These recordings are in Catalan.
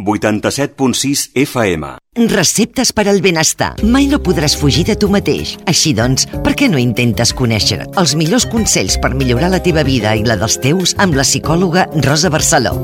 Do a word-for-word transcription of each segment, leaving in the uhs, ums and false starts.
vuitanta-set punt sis F M. Receptes per al benestar. Mai no podràs fugir de tu mateix. Així doncs, per què no intentes conèixer els millors consells per millorar la teva vida i la dels teus amb la psicòloga Rosa Barceló?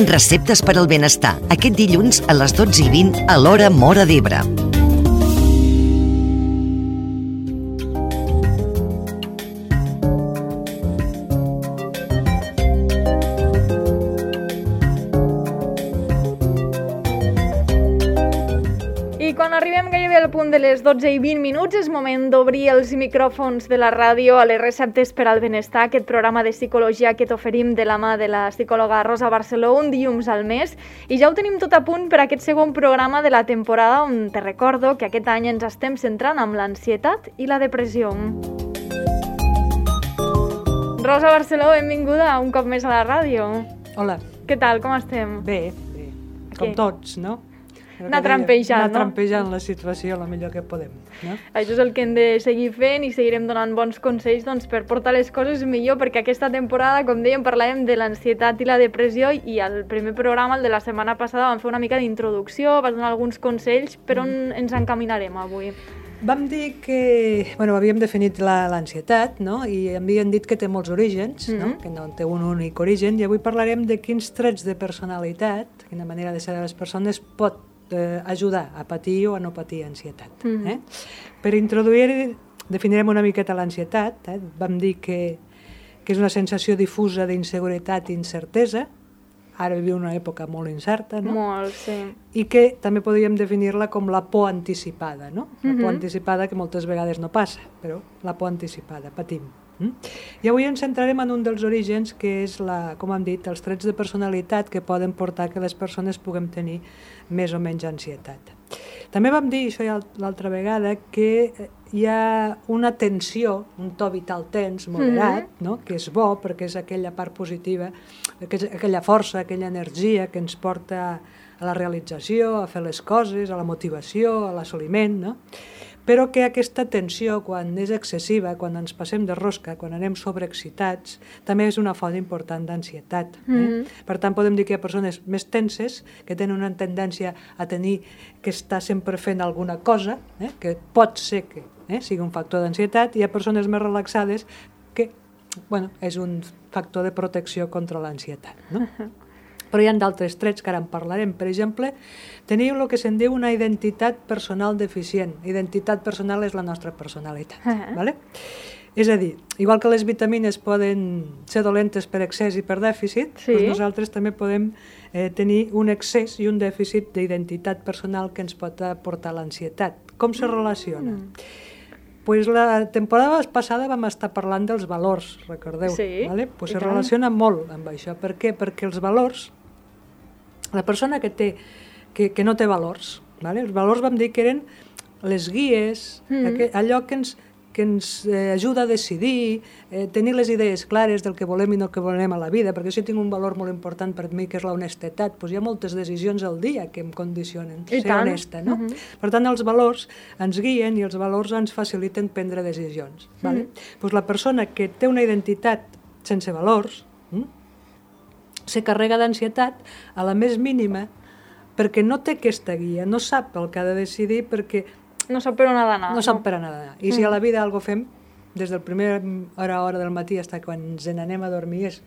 Receptes per al benestar. Aquest dilluns a les dotze i vint a l'hora Móra d'Ebre. Quan arribem gairebé al punt de les dotze i vint minuts és moment d'obrir els micròfons de la ràdio a les receptes per al benestar, aquest programa de psicologia que t'oferim de la mà de la psicòloga Rosa Barceló un dilluns al mes. I ja ho tenim tot a punt per a aquest segon programa de la temporada, on te recordo que aquest any ens estem centrant amb l'ansietat i la depressió. Rosa Barceló, benvinguda un cop més a la ràdio. Hola. Què tal, com estem? Bé, bé. Com Què? Tots, no? Anar trampejant, anar no? trampejant la situació el millor que podem, no? Això és el que hem de seguir fent i seguirem donant bons consells doncs, per portar les coses millor, perquè aquesta temporada, com dèiem, parlàvem de l'ansietat i la depressió i al primer programa, el de la setmana passada, vam fer una mica d'introducció, vas donar alguns consells, per on ens encaminarem avui? Vam dir que, bueno, havíem definit la, l'ansietat, no? I havíem dit que té molts orígens, mm-hmm. no? Que no té un únic origen, i avui parlarem de quins trets de personalitat, quina manera de ser de les persones pot eh, ajudar a patir o a no patir ansietat. Mm-hmm. eh? Per introduir, definirem una miqueta l'ansietat. Eh? Vam dir que, que és una sensació difusa d'inseguretat i incertesa. Ara vivim una època molt incerta, no? Molt, sí. I que també podríem definir-la com la por anticipada, no? La por Mm-hmm. anticipada que moltes vegades no passa, però la por anticipada, patim. Mm? I avui ens centrarem en un dels orígens, que és, la, com hem dit, els trets de personalitat que poden portar que les persones puguem tenir més o menys ansietat. També vam dir, això ja l'altra vegada, que hi ha una tensió, un to vital tens, moderat, mm-hmm. no? Que és bo perquè és aquella part positiva, aquella força, aquella energia que ens porta a la realització, a fer les coses, a la motivació, a l'assoliment, no? Però que aquesta tensió, quan és excessiva, quan ens passem de rosca, quan anem sobreexcitats, també és una font important d'ansietat. Eh? Mm-hmm. Per tant, podem dir que hi ha persones més tenses, que tenen una tendència a tenir que està sempre fent alguna cosa, eh? Que pot ser que eh? sigui un factor d'ansietat, i hi ha persones més relaxades que, bueno, és un factor de protecció contra l'ansietat, no? Però hi ha d'altres trets que ara en parlarem. Per exemple, teniu el que se'n diu una identitat personal deficient. Identitat personal és la nostra personalitat. Uh-huh. Vale? És a dir, igual que les vitamines poden ser dolentes per excés i per dèficit, sí. Doncs nosaltres també podem eh, tenir un excés i un dèficit d'identitat personal que ens pot portar l'ansietat. Com se relaciona? Mm. Pues la temporada passada vam estar parlant dels valors, recordeu? Sí, vale? Pues se relaciona molt amb això. Per què? Perquè els valors, la persona que, té, que, que no té valors, vale? Els valors vam dir que eren les guies, mm. aqu- allò que ens, que ens eh, ajuda a decidir, eh, tenir les idees clares del que volem i no que volem a la vida, perquè si tinc un valor molt important per mi, que és l'honestedat, doncs hi ha moltes decisions al dia que em condicionen, I ser tant. honesta, no? Mm-hmm. Per tant, els valors ens guien i els valors ens faciliten prendre decisions. Mm. Vale? Doncs la persona que té una identitat sense valors hm, se carrega d'ansietat a la més mínima perquè no té aquesta guia, no sap el que ha de decidir perquè no sap per on ha d'anar. no sap per on ha d'anar. I si a la vida algo fem, des del primer hora a hora del matí fins quan ens n'anem a dormir, és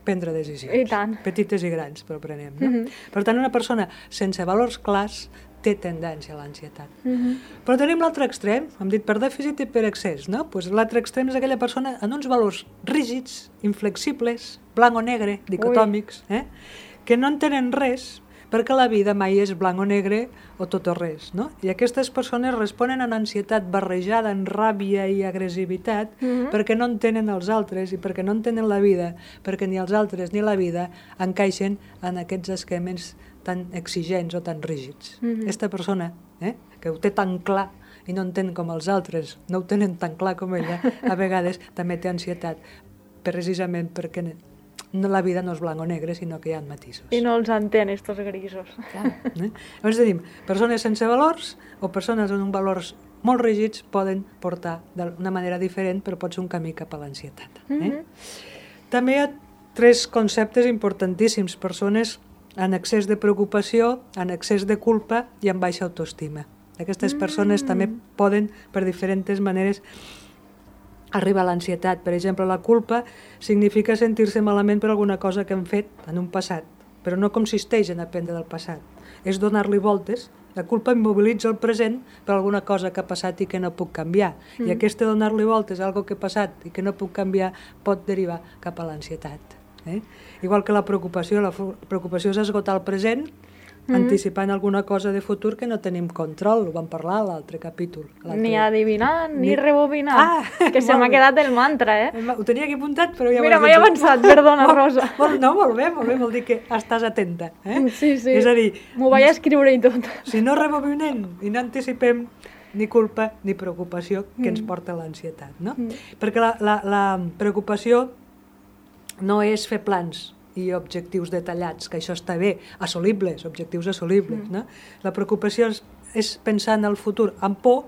prendre decisions. I tant. Petites i grans, però prenem. No? Mm-hmm. Per tant, una persona sense valors clars té tendència a l'ansietat. Mm-hmm. Però tenim l'altre extrem, hem dit per dèficit i per excés, no? Pues l'altre extrem és aquella persona amb uns valors rígids, inflexibles, blanc o negre, dicotòmics, eh? Que no entenen res, perquè la vida mai és blanc o negre o tot o res, no? I aquestes persones responen a una ansietat barrejada en ràbia i agressivitat mm-hmm. perquè no entenen els altres i perquè no entenen la vida, perquè ni els altres ni la vida encaixen en aquests esquemes tan exigents o tan rígids. Mm-hmm. Aquesta persona, eh, que ho té tan clar i no entén com els altres, no ho tenen tan clar com ella, a vegades també té ansietat, precisament perquè no, la vida no és blanc o negre, sinó que hi ha matisos. I no els entén, estos grisos. Clar, eh? Llavors tenim persones sense valors o persones amb valors molt rígids poden portar d'una manera diferent, però pot ser un camí cap a l'ansietat. Eh? Mm-hmm. També hi ha tres conceptes importantíssims. Persones en excés de preocupació, en excés de culpa i amb baixa autoestima. Aquestes persones mm. també poden, per diferents maneres, arribar a l'ansietat. Per exemple, la culpa significa sentir-se malament per alguna cosa que hem fet en un passat, però no consisteix en aprendre del passat. És donar-li voltes. La culpa immobilitza el present per alguna cosa que ha passat i que no puc canviar. Mm. I aquest donar-li voltes a algo que ha passat i que no puc canviar pot derivar cap a l'ansietat. Eh? Igual que la preocupació, la preocupació és esgotar el present, mm. anticipant alguna cosa de futur que no tenim control, ho vam parlar a l'altre capítol. Ni adivinar, ni, ni rebobinar, ah, que se m'ha quedat el mantra, eh? Ho tenia aquí apuntat, però ja... Mira, m'he avançat, perdona, Rosa. Molt, no, molt bé, molt bé, vol dir que estàs atenta. Eh? Sí, sí, és a dir, m'ho vaig escriure i tot. Si no rebobinem i no anticipem ni culpa ni preocupació que mm. ens porta a l'ansietat, no? Mm. Perquè la, la, la preocupació no és fer plans i objectius detallats, que això està bé, assolibles, objectius assolibles. Mm. No? La preocupació és, és pensar en el futur amb por,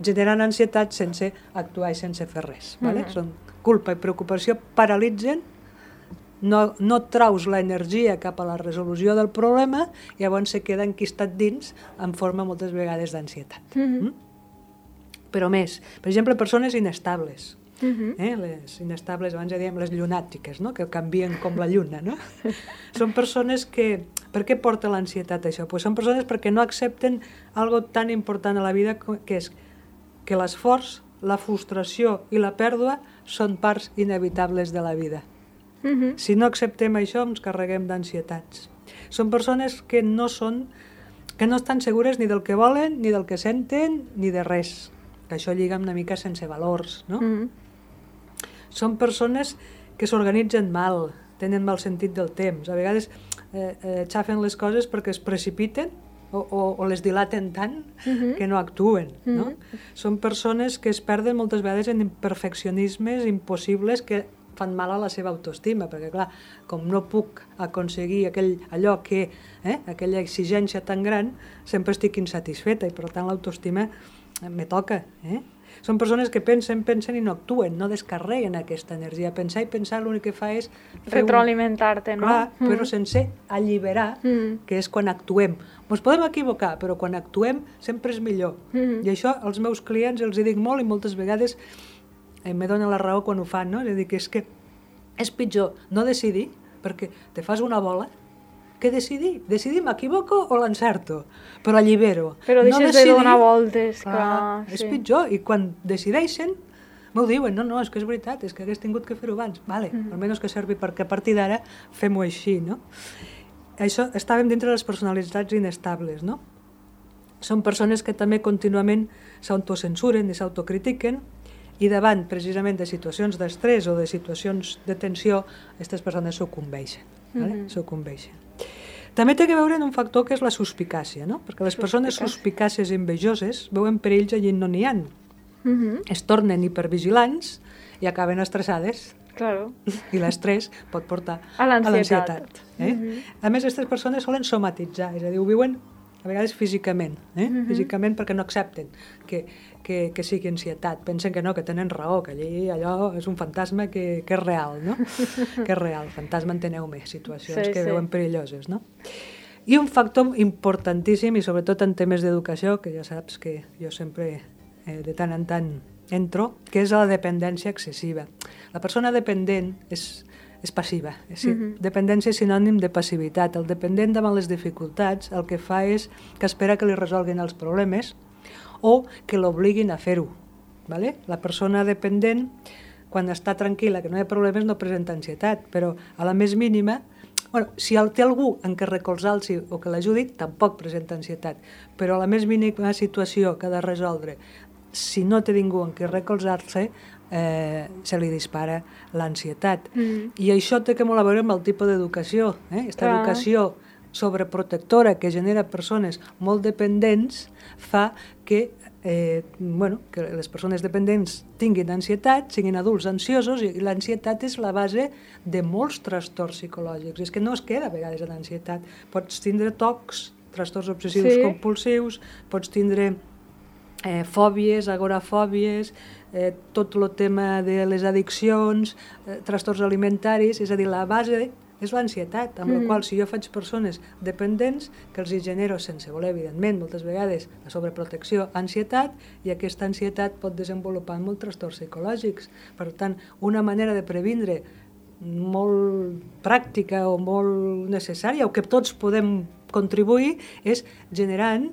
generant ansietat sense actuar i sense fer res. Mm. Vale? Són culpa i preocupació paralitzen, no, no traus l'energia cap a la resolució del problema i llavors se queda enquistat dins en forma moltes vegades d'ansietat. Mm-hmm. Mm? Però més, per exemple, persones inestables. Uh-huh. eh? Les inestables, abans ja dèiem les llunàtiques, no? Que canvien com la lluna, no? Són persones que... Per què porta l'ansietat això? Pues són persones perquè no accepten algo tan important a la vida que és que l'esforç, la frustració i la pèrdua són parts inevitables de la vida. Uh-huh. Si no acceptem això ens carreguem d'ansietats. Són persones que no són, que no estan segures ni del que volen, ni del que senten, ni de res. Que això lliga una mica sense valors, no? Uh-huh. Són persones que s'organitzen mal, tenen mal sentit del temps. A vegades eh, eh, xafen les coses perquè es precipiten o, o, o les dilaten tant uh-huh. que no actuen. No? Uh-huh. Són persones que es perden moltes vegades en imperfeccionismes impossibles que fan mal a la seva autoestima, perquè clar, com no puc aconseguir aquell, allò que, eh, aquella exigència tan gran, sempre estic insatisfeta i per tant l'autoestima me toca, eh? Són persones que pensen, pensen i no actuen, no descarreguen aquesta energia. Pensar i pensar l'únic que fa és... retroalimentar-te, no? Clar, mm. però sense alliberar, mm. que és quan actuem. Ens podem equivocar, però quan actuem sempre és millor. Mm. I això als meus clients els hi dic molt i moltes vegades eh, me donen la raó quan ho fan, no? És a dir, que és que és pitjor no decidir, perquè te fas una bola, que decidir? Decidir m'equivoco o l'encerto? Però allibero. Però deixes no decidir, de donar voltes. Clar, clar, és sí. pitjor. I quan decideixen, m'ho diuen, no, no, és que és veritat, és que hagués tingut que fer-ho abans. Vale, mm. almenys que servi perquè a partir d'ara fem-ho així, no? Això, estàvem dintre de les personalitats inestables, no? Són persones que també contínuament s'autocensuren i s'autocritiquen i davant, precisament, de situacions d'estrès o de situacions de tensió, aquestes persones sucumbeixen. Vale? Mm-hmm. Sucumbeixen. També té que veure en un factor que és la suspicàcia, no? Perquè les persones suspicàcies i envejoses veuen perills allí no n'hi ha. Mm-hmm. Es tornen hipervigilants i acaben estressades. Claro. I l'estrès pot portar a l'ansietat. Eh? Mm-hmm. A més, aquestes persones solen somatitzar, és a dir, ho viuen a vegades físicament, eh? mm-hmm. físicament perquè no accepten que, que, que sigui ansietat, pensen que no, que tenen raó, que allí allò és un fantasma que, que és real, no? que és real, fantasma enteneu-me, situacions sí, que sí. veuen perilloses, no? I un factor importantíssim, i sobretot en temes d'educació, que ja saps que jo sempre eh, de tant en tant entro, que és la dependència excessiva. La persona dependent és és passiva. És uh-huh. Dependència és sinònim de passivitat. El dependent davant les dificultats el que fa és que espera que li resolguin els problemes o que l'obliguin a fer-ho. Vale? La persona dependent, quan està tranquil·la, que no hi ha problemes, no presenta ansietat, però a la més mínima, bueno, si té algú en què recolzar-se o que l'ajudi, tampoc presenta ansietat, però a la més mínima situació que ha de resoldre, si no té ningú en què recolzar-se, Eh, se li dispara l'ansietat. Mm. I això té que molt a veure amb el tipus d'educació. Eh? Aquesta Clar. educació sobreprotectora que genera persones molt dependents fa que, eh, bueno, que les persones dependents tinguin ansietat, siguin adults ansiosos, i l'ansietat és la base de molts trastorns psicològics. És que no es queda a vegades en ansietat. Pots tindre tocs, trastorns obsessius sí. compulsius, pots tindre eh, fòbies, agorafòbies, eh, tot el tema de les addiccions, eh, trastorns alimentaris, és a dir, la base és l'ansietat, amb mm. la qual si jo faig persones dependents, que els hi genero sense voler, evidentment, moltes vegades la sobreprotecció, ansietat, i aquesta ansietat pot desenvolupar molts trastorns psicològics. Per tant, una manera de previndre molt pràctica o molt necessària, o que tots podem contribuir, és generant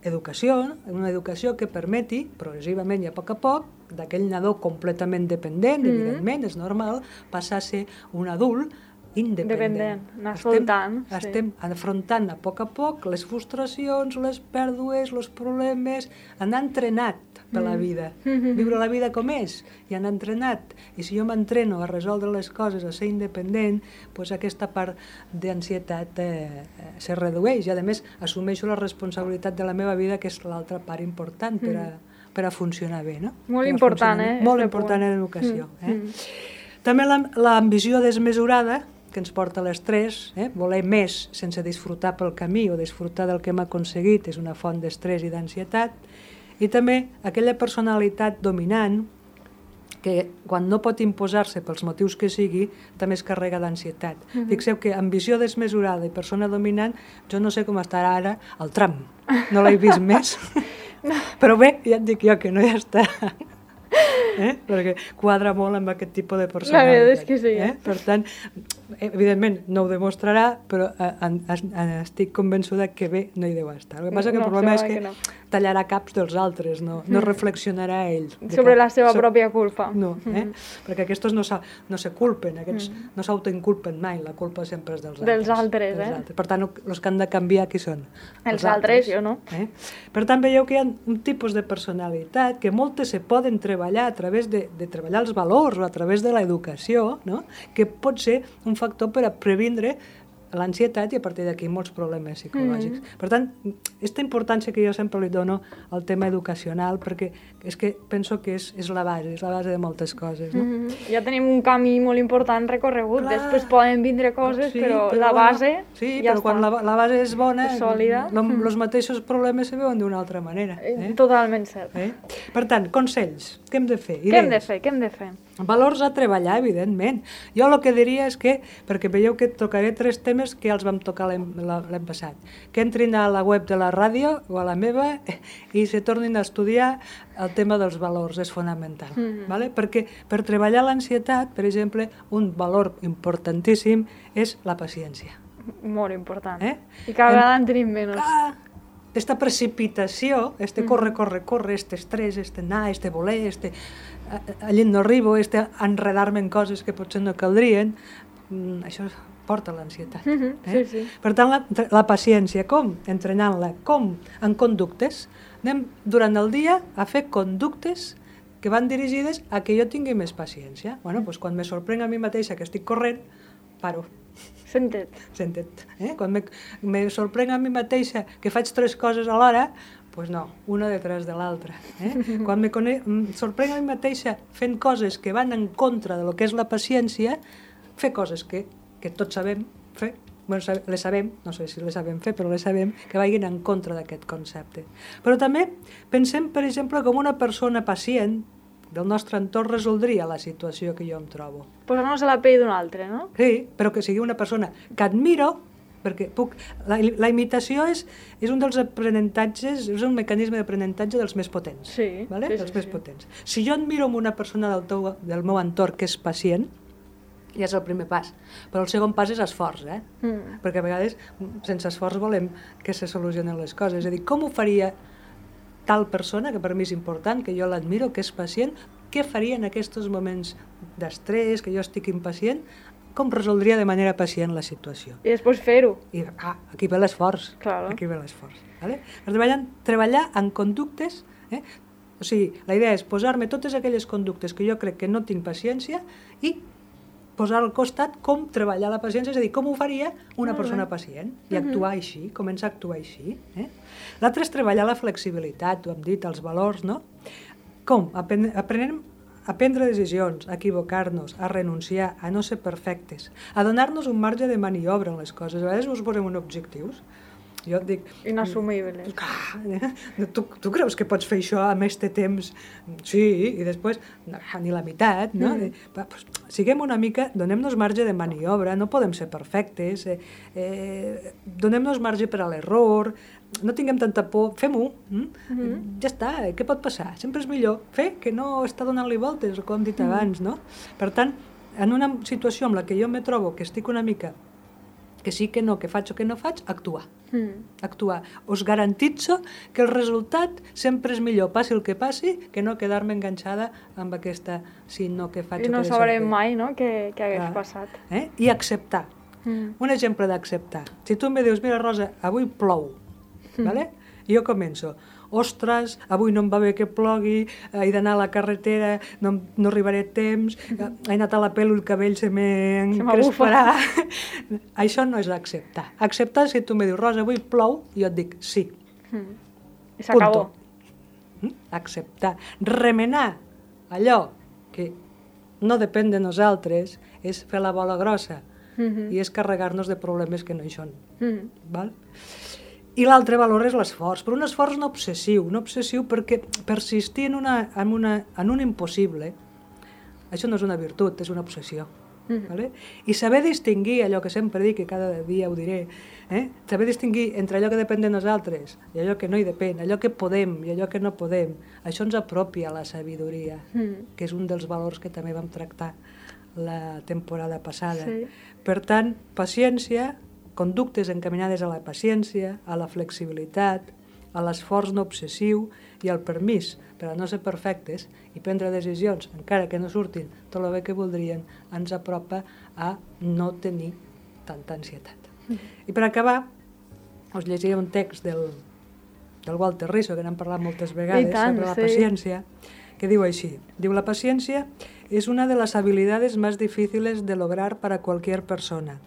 educació, una educació que permeti, progressivament i a poc a poc, d'aquell nadó completament dependent, mm. evidentment, és normal, passar a ser un adult independent. Dependent, anar soltant. Estem, sí. estem afrontant a poc a poc les frustracions, les pèrdues, els problemes, anar entrenat per mm. la vida, mm-hmm. viure la vida com és, i anar entrenat. I si jo m'entreno a resoldre les coses, a ser independent, doncs aquesta part d'ansietat eh, se redueix, i a més assumeixo la responsabilitat de la meva vida, que és l'altra part important per a, mm. per a funcionar bé. No? Molt per important, eh? Molt important en l'educació. Mm. Eh? Mm. També l'ambició desmesurada, que ens porta a l'estrès, eh? voler més sense disfrutar pel camí o disfrutar del que hem aconseguit és una font d'estrès i d'ansietat, i també aquella personalitat dominant que quan no pot imposar-se pels motius que sigui, també es carrega d'ansietat. Uh-huh. Fixeu que ambició desmesurada i persona dominant, jo no sé com estarà ara el tram, no l'he vist més, però bé, ja et dic jo que no hi està. Eh? Perquè quadra molt amb aquest tipus de personalitat. La veritat és que sí. Eh? Per tant, evidentment no ho demostrarà, però en, en, estic convençuda que bé no hi deu estar. El que passa que el no, problema és que, que no. tallarà caps dels altres, no, no mm. reflexionarà ell. Sobre cap, la seva so, pròpia culpa. No, eh? mm. perquè aquests no, no se culpen, aquests mm. no s'autoinculpen mai, la culpa sempre és dels altres. Dels altres, eh? Dels altres. Per tant, els que han de canviar qui són? Els, els altres, altres, jo no. Eh? Per tant, veieu que hi ha un tipus de personalitat que moltes se poden treballar a través de, de treballar els valors o a través de l'educació, no? que pot ser un factor per a previndre l'ansietat i a partir d'aquí molts problemes psicològics. Mm. Per tant, aquesta importància que jo sempre li dono al tema educacional, perquè és que penso que és, és la base, és la base de moltes coses. No? Mm. Ja tenim un camí molt important recorregut, clar. Després poden vindre coses, sí, però, però la base bueno, sí, ja però està. Quan la, la base és bona, és sòlida. Els mm. mateixos problemes se veuen d'una altra manera. Eh? Totalment cert. Eh? Per tant, consells, què hem de fer? Idees. Què hem de fer? Què hem de fer? Valors a treballar, evidentment. Jo el que diria és que, perquè veieu que tocaré tres temes que ja els vam tocar l'any passat, que entrin a la web de la ràdio o a la meva i se tornin a estudiar el tema dels valors, és fonamental. Mm-hmm. Vale? Perquè per treballar l'ansietat, per exemple, un valor importantíssim és la paciència. Molt important. Eh? I cada vegada en tenim menys. Ah, esta precipitació, este mm. corre, corre, corre, este estrès, este anar, este voler, este allí no arribo, este enredar-me en coses que potser no caldrien, mm, això porta a l'ansietat. Mm-hmm. eh? Sí, sí. Per tant, la, la paciència, com? Entrenant-la, com? En conductes. Anem durant el dia a fer conductes que van dirigides a que jo tingui més paciència. Bueno, doncs quan me sorprenc a mi mateixa que estic corrent, paro. Sentet. Sentet. Eh? Quan me, me sorprenc a mi mateixa que faig tres coses alhora, doncs pues no, una detrás de l'altra. Eh? Quan me cone... sorprenc a mi mateixa fent coses que van en contra de lo que és la paciència, fer coses que, que tots sabem fer, bueno, les sabem, no sé si les sabem fer, però les sabem, que vagin en contra d'aquest concepte. Però també pensem, per exemple, com una persona pacient del nostre entorn resoldria la situació que jo em trobo. Posar-nos a la pell d'un altre, no? Sí, però que sigui una persona que admiro, perquè puc, la, la imitació és, és un dels aprenentatges, és un mecanisme d'aprenentatge dels més potents. Sí, vale? sí, dels sí, més sí. potents. Si jo admiro una persona del, teu, del meu entorn que és pacient, ja és el primer pas. Però el segon pas és esforç, eh? Mm. Perquè a vegades, sense esforç, volem que se solucionen les coses. És a dir, com ho faria tal persona, que per mi és important, que jo l'admiro, que és pacient, què faria en aquests moments d'estrès, que jo estic impacient, com resoldria de manera pacient la situació. I després fer-ho. I ah, aquí ve l'esforç. Claro. Aquí ve l'esforç. Vale? Treballar, treballar en conductes, eh? O sigui, la idea és posar-me totes aquelles conductes que jo crec que no tinc paciència i posar al costat com treballar la paciència, és a dir, com ho faria una persona pacient, i actuar així, començar a actuar així. Eh? L'altre és treballar la flexibilitat, ho hem dit, els valors, no? Com? Aprenem a prendre decisions, a equivocar-nos, a renunciar, a no ser perfectes, a donar-nos un marge de maniobra en les coses. A vegades ens posem uns objectius Jo et dic... Inassumible. Eh? Tu, tu creus que pots fer això amb este temps? Sí, i després ni la meitat, no? Mm. Va, pues, siguem una mica, donem-nos marge de maniobra, no podem ser perfectes, eh, eh, donem-nos marge per a l'error, no tinguem tanta por, fem-ho, mm? Mm-hmm. Ja està, eh? Què pot passar? Sempre és millor fer que no estar donant-li voltes, com hem dit mm. abans, no? Per tant, en una situació en la que jo me trobo que estic una mica que sí, que no, que faig o que no faig, actuar. Mm. Actuar. Us garantitzo que el resultat sempre és millor, passi el que passi, que no quedar-me enganxada amb aquesta si no que faig I o no que deixo. I no sabrem mai, no?, què hagués ah. passat. Eh? I acceptar. Mm. Un exemple d'acceptar. Si tu em dius, mira, Rosa, avui plou, mm. vale? I jo començo, ostres, avui no em va bé que plogui, he d'anar a la carretera, no, no arribaré a temps, he anat a la pell, el cabell se m'encresparà. Això no és acceptar. Acceptar si tu em dius, Rosa, avui plou, i jo et dic sí. Mm. I s'acabó. Mm? Acceptar. Remenar allò que no depèn de nosaltres és fer la bola grossa mm-hmm. i és carregar-nos de problemes que no hi són. Mm. Val? I l'altre valor és l'esforç, però un esforç no obsessiu, no obsessiu perquè persistir en, una, en, una, en un impossible, això no és una virtut, és una obsessió. Mm. Vale? I saber distingir allò que sempre dic, que cada dia ho diré, eh? saber distingir entre allò que depèn de nosaltres i allò que no hi depèn, allò que podem i allò que no podem, això ens apropia a la sabidoria, mm. que és un dels valors que també vam tractar la temporada passada. Sí. Per tant, paciència, conductes encaminades a la paciència, a la flexibilitat, a l'esforç no obsessiu i al permís per a no ser perfectes i prendre decisions, encara que no surtin tot el bé que voldrien, ens apropa a no tenir tanta ansietat. Mm. I per acabar, us llegiré un text del, del Walter Rizzo, que n'hem parlat moltes vegades, tant, sobre la sí. paciència, que diu així, diu, la paciència es una de las habilidades más difíciles de lograr para cualquier persona,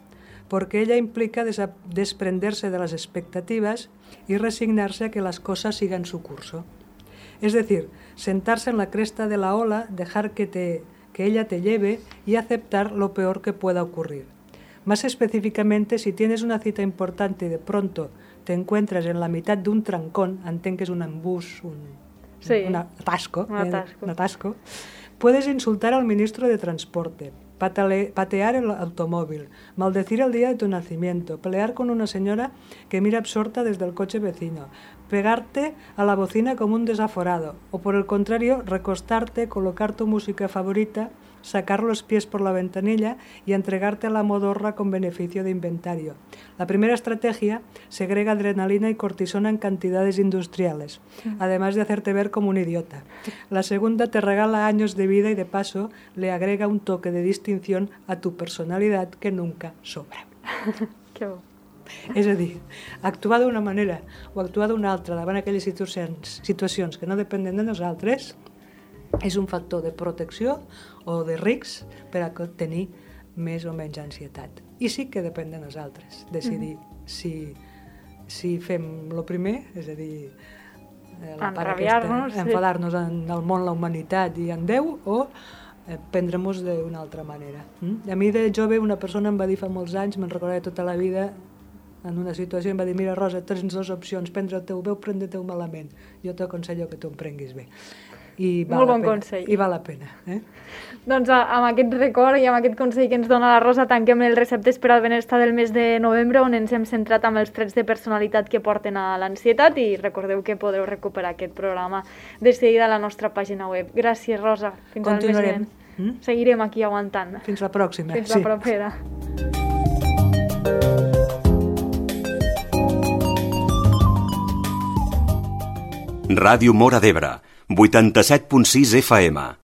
porque ella implica des- desprenderse de las expectativas y resignarse a que las cosas sigan su curso. Es decir, sentarse en la cresta de la ola, dejar que, te, que ella te lleve y aceptar lo peor que pueda ocurrir. Más específicamente, si tienes una cita importante y de pronto te encuentras en la mitad de un trancón, entenc que és un embús, un, sí. un atasco, un atasco. Eh, un atasco, puedes insultar al ministro de Transporte, Patale, patear el automóvil, maldecir el día de tu nacimiento, pelear con una señora que mira absorta desde el coche vecino, pegarte a la bocina como un desaforado, o por el contrario, recostarte, colocar tu música favorita, sacar los pies por la ventanilla y entregarte a la modorra con beneficio de inventario. La primera estrategia segrega adrenalina y cortisona en cantidades industriales, además de hacerte ver como un idiota. La segunda te regala años de vida y de paso le agrega un toque de distinción a tu personalidad que nunca sobra. Que bo. És a dir, actuar d'una manera o actuar d'una altra davant aquelles situacions, situacions que no depenen de nosaltres és un factor de protecció o de risc per a tenir més o menys ansietat. I sí que depèn de nosaltres decidir mm-hmm. si, si fem el primer, és a dir, la part aquesta, sí. enfadar-nos en el món, la humanitat i en Déu, o eh, prendre-nos d'una altra manera. Mm? A mi de jove una persona em va dir fa molts anys, me'n recordaré tota la vida, en una situació em va dir, mira Rosa, tens dues opcions, prendre el teu bé o prendre el teu malament. Jo t'aconsello que tu em prenguis bé. I val Molt bon pena, consell. I val la pena. Eh? Doncs amb aquest record i amb aquest consell que ens dona la Rosa tanquem els receptes per al benestar del mes de novembre, on ens hem centrat amb els trets de personalitat que porten a l'ansietat, i recordeu que podeu recuperar aquest programa de seguida a la nostra pàgina web. Gràcies, Rosa. Fins al mes vinent. Mm? Seguirem aquí aguantant. Fins la pròxima. Fins sí. la propera. Ràdio Móra d'Ebre, vuitanta-set punt sis F M.